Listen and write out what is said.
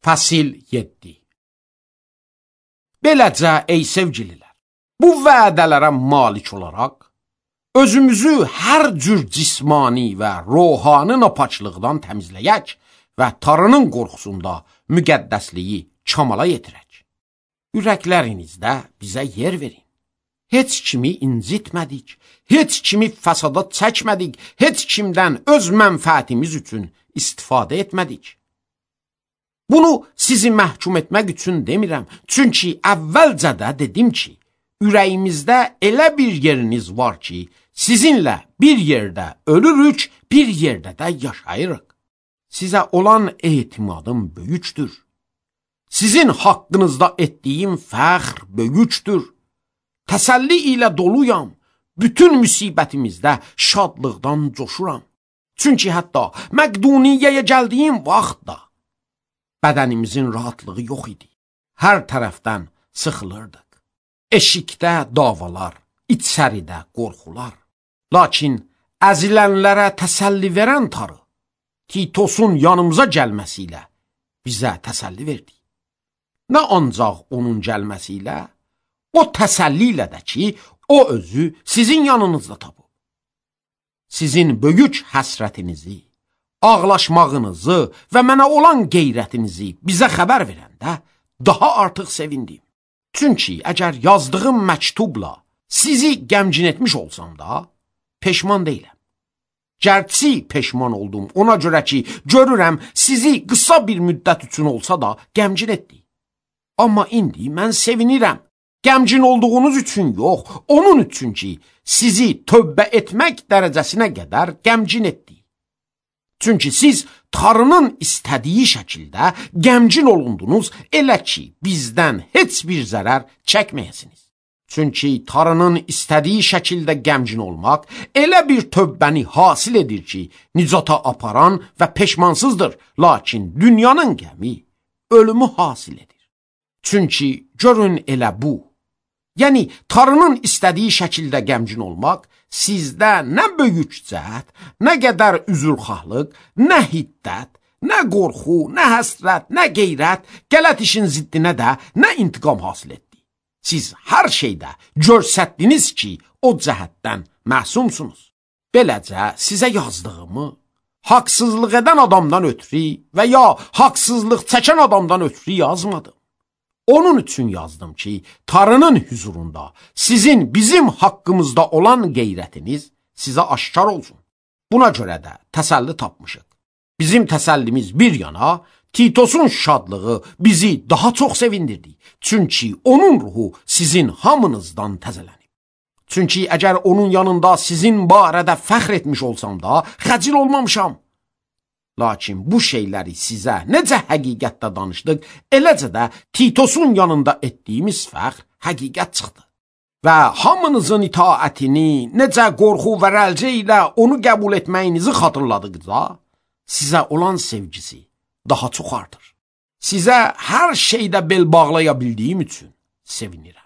Fəsil 7. Beləcə, ey sevgililər, bu vədələrə malik olaraq, özümüzü hər cür cismani və ruhani napaçlıqdan təmizləyək və Tanrının qorxusunda müqəddəsliyi kamala yetirək. Ürəklərinizdə bizə yer verin. Heç kimi incitmədik, heç kimi fəsada çəkmədik, heç kimdən öz mənfəətimiz üçün istifadə etmədik. Bunu sizi məhkum etmək üçün demirəm, çünki əvvəlcədə dedim ki, ürəyimizdə elə bir yeriniz var ki, sizinlə bir yerdə ölürük, bir yerdə də yaşayırıq. Sizə olan etimadım böyükdür. Sizin haqqınızda etdiyim fəxr böyükdür. Təsəlli ilə doluyam, bütün müsibətimizdə şadlıqdan coşuram. Çünki hətta Məqduniyyəyə gəldiyim vaxtda bədənimizin rahatlığı yox idi. Hər tərəfdən sıxılırdıq. Eşikdə davalar, içəridə qorxular. Lakin əzilənlərə təsəlli verən Tanrı, Titosun yanımıza gəlməsi ilə bizə təsəlli verdi. Nə ancaq onun gəlməsi ilə, o təsəlli ilə də ki, o özü sizin yanınızda tapıb. Sizin böyük həsrətinizi, ağlaşmağınızı və mənə olan qeyrətinizi bizə xəbər verəndə daha artıq sevindim. Çünki əgər yazdığım məktubla sizi qəmgin etmiş olsam da, peşman deyiləm. Gərçi peşman oldum, ona görə ki, görürəm sizi qısa bir müddət üçün olsa da qəmgin etdi. Amma indi mən sevinirəm. Qəmgin olduğunuz üçün yox, onun üçün ki, sizi tövbə etmək dərəcəsinə qədər qəmgin etdi. Çünki siz Tanrının istədiyi şəkildə qəmgin olundunuz, elə ki, bizdən heç bir zərər çəkməyəsiniz. Çünki Tanrının istədiyi şəkildə qəmgin olmaq elə bir tövbəni hasil edir ki, nicata aparan və peşmansızdır, lakin dünyanın qəmi ölümü hasil edir. Çünki görün elə bu, yəni Tanrının istədiyi şəkildə qəmgin olmaq sizdə nə böyük cəhət, nə qədər üzrxahlıq, nə hiddət, nə qorxu, nə həsrət, nə qeyrət, qələt işin ziddinə də nə intiqam hasil etdi. Siz hər şeydə görsətdiniz ki, o cəhətdən məsumsunuz. Beləcə sizə yazdığımı haqsızlıq edən adamdan ötürü və ya haqsızlıq çəkən adamdan ötürü yazmadım. Onun üçün yazdım ki, Tanrının huzurunda sizin bizim haqqımızda olan qeyrətiniz sizə aşkar olsun. Buna görə də təsəlli tapmışıq. Bizim təsəllimiz bir yana, Titosun şadlığı bizi daha çox sevindirdi. Çünki onun ruhu sizin hamınızdan təzələnib. Çünki əgər onun yanında sizin barədə fəxr etmiş olsam da, xəcil olmamışam. Lakin bu şeyləri sizə necə həqiqətdə danışdıq, eləcə də Titosun yanında etdiyimiz fəxr həqiqət çıxdı. Və hamınızın itaətini, necə qorxu və rəlcə ilə onu qəbul etməyinizi xatırladıqca, sizə olan sevgisi daha çox artır. Sizə hər şeydə bel bağlaya bildiyim üçün sevinirəm.